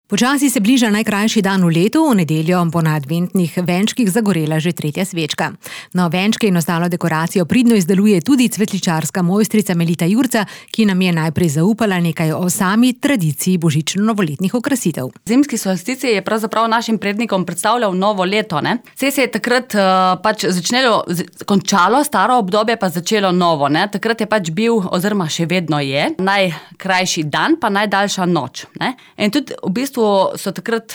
Počasi se bliža najkrajši dan v letu, v nedeljo bo na adventnih venčkih zagorela že 3. svečka. No, venčke in ostalo dekoracijo pridno izdeluje tudi cvetličarska mojstrica Melita Jurca, ki nam je najprej zaupala nekaj o sami tradiciji božično-novoletnih okrasitev. Zimski solstici je pravzaprav našim prednikom predstavljal novo leto, ne? Saj se je takrat končalo staro obdobje, pa začelo novo, ne? Takrat je bil, oziroma še vedno je, najkrajši dan, pa najdaljša noč, ne? In tudi v bistvu so takrat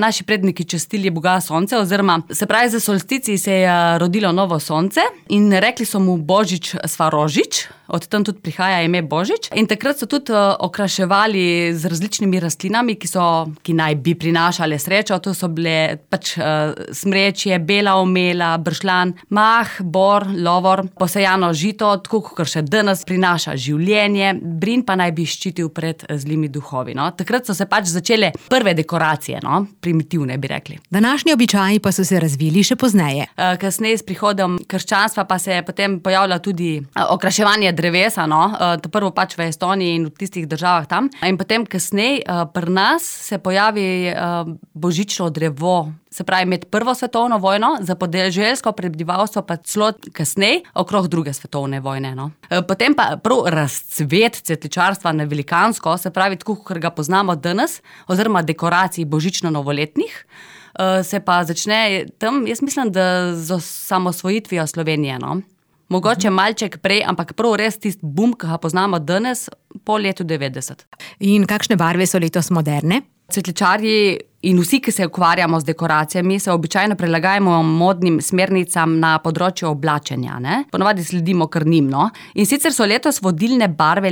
naši predniki častili Boga sonce, oziroma se pravi, za solstici se je rodilo novo sonce in rekli so mu Božič Svarožič, od tam tudi prihaja ime Božič. In takrat so tudi okraševali z različnimi rastlinami, ki naj bi prinašale srečo. To so bile smrečje, bela omela, bršljan, mah, bor, lovor, posejano žito, tako kot še danes prinaša življenje, brin pa naj bi ščitil pred zlimi duhovi, no. Takrat so se začele prve dekoracije, no, primitivne bi rekli. Današnji običaji pa so se razvili še pozneje. Kasneje s prihodom krščanstva pa se je potem pojavila tudi okraševanje drevesa, no, prvo v Estoniji in v tistih državah tam. In potem kasneje pri nas se pojavi božično drevo, se pravi med prvo svetovno vojno, za podeželsko prebivalstvo pa celo kasneje, okrog druge svetovne vojne, no. Potem pa prav razcvet cvetličarstva na velikansko, se pravi tako, kot ga poznamo danes, oziroma dekoracij božično-novoletnih, se pa začne tam, jaz mislim, da z osamosvojitvijo Slovenije, no. Mogoče malček prej, ampak prav res tisti bum, ki ga poznamo danes, po letu 90. In kakšne barve so letos moderne? Cvetličarji in vsi, ki se ukvarjamo z dekoracijami, se običajno prilagajamo modnim smernicam na področju oblačenja, ne? Ponavadi sledimo kar njim, no. In sicer so letos vodilne barve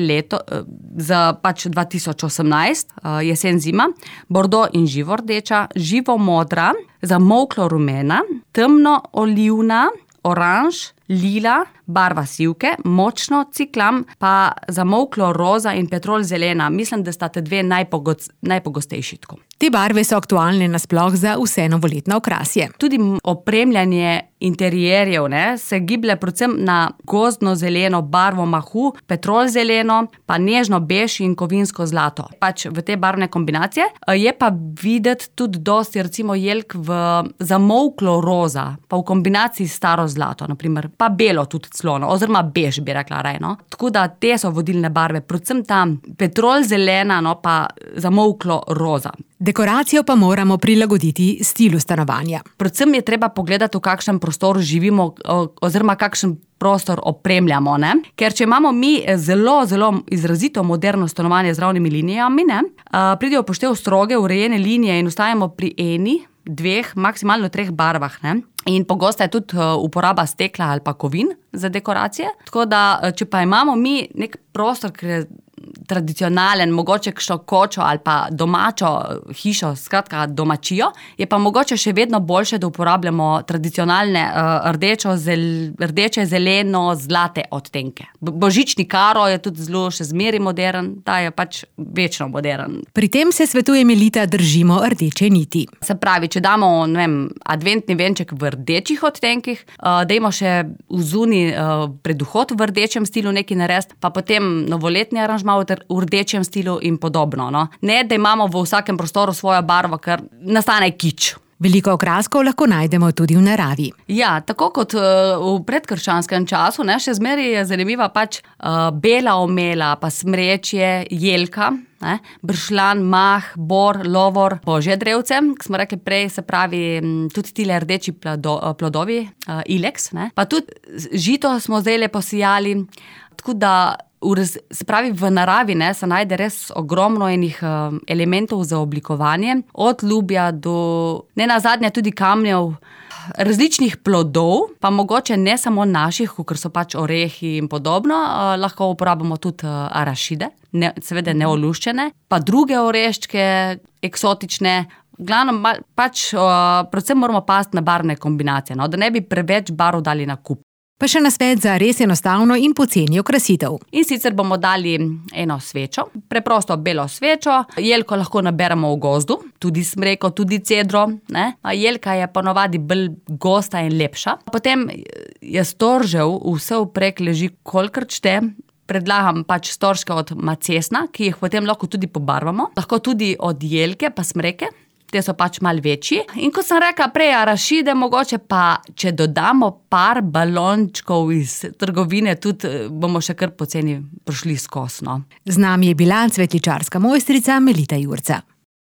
za 2018, jesen zima, bordo in živo rdeča, živo modra, zamolklo rumena, temno olivna, oranž, lila, barva sivke, močno ciklam, pa zamolklo roza in petrol zelena. Mislim, da sta te dve najpogostejši tako. Te barve so aktualne nasploh za vse novoletne okrasje. Tudi opremljanje interierjev, ne, se giblje predvsem na gozdno-zeleno barvo mahu, petrol zeleno, pa nežno bež in kovinsko zlato. V te barvne kombinacije je pa videti tudi dosti, recimo jelk v zamolklo roza, pa v kombinaciji staro zlato, naprimer, pa belo tudi celo, oziroma bež bi rekla raje, no. Tako da te so vodilne barve, predvsem ta petrol zelena, no, pa zamolklo roza. Dekoracijo pa moramo prilagoditi stilu stanovanja. Predvsem je treba pogledati, v kakšnem prostoru živimo, oziroma kakšen prostor opremljamo, ne. Ker če imamo mi zelo, zelo izrazito moderno stanovanje z ravnimi linijami, ne, pridejo v poštev stroge, urejene linije in ostajamo pri eni, dveh, maksimalno 3 barvah, ne. In pogosta je tudi uporaba stekla ali pa kovin za dekoracije. Tako da, če pa imamo mi nek prostor, ki je tradicionalen, mogoče kakšno kočo ali pa domačo hišo, skratka domačijo, je pa mogoče še vedno boljše, da uporabljamo tradicionalne rdeče, zeleno, zlate odtenke. Božični karo je tudi zelo še zmeraj modern, ta je večno modern. Pri tem se svetuje Melita, držimo rdeče niti. Se pravi, če damo, ne vem, adventni venček v rdečih odtenkih, dajmo še vzuni pred vhod v rdečem stilu nekaj narediti, pa potem novoletni aranžma v rdečem stilu in podobno, no. Ne, da imamo v vsakem prostoru svojo barvo, ker nastane kič. Veliko okraskov lahko najdemo tudi v naravi. Ja, tako kot v predkrščanskem času, ne, še zmeraj je zanimiva bela omela, pa smrečje, jelka, ne, bršljan, mah, bor, lovor, božje drevce, ki smo rekli prej, se pravi tudi tile rdeči plodovi, ilex, ne, pa tudi žito smo zdajle posijali, tako da se pravi, v naravi, ne, se najde res ogromno enih elementov za oblikovanje, od lubja do nenazadnje tudi kamnjev, različnih plodov, pa mogoče ne samo naših, kakor so orehi in podobno, lahko uporabimo tudi arašide, seveda neoluščene, pa druge oreščke, eksotične. V glavnem, predvsem moramo paziti na barvne kombinacije, no, da ne bi preveč barv dali na kup. Pa še nasvet za res enostavno in poceni okrasitev. In sicer bomo dali eno svečo, preprosto belo svečo, jelko lahko naberemo v gozdu, tudi smreko, tudi cedro, ne. Jelka je ponavadi bolj gosta in lepša. Potem je storžev vse vprek leži kolikor čte, predlagam pač storžke od macesna, ki jih potem lahko tudi pobarvamo. Lahko tudi od jelke pa smreke. Te so pač malo večji. In kot sem rekla prej, arašide mogoče pa, če dodamo par balončkov iz trgovine, tudi bomo še kar poceni prišli skozi, no. Z nami je bila cvetličarska mojstrica Melita Jurca.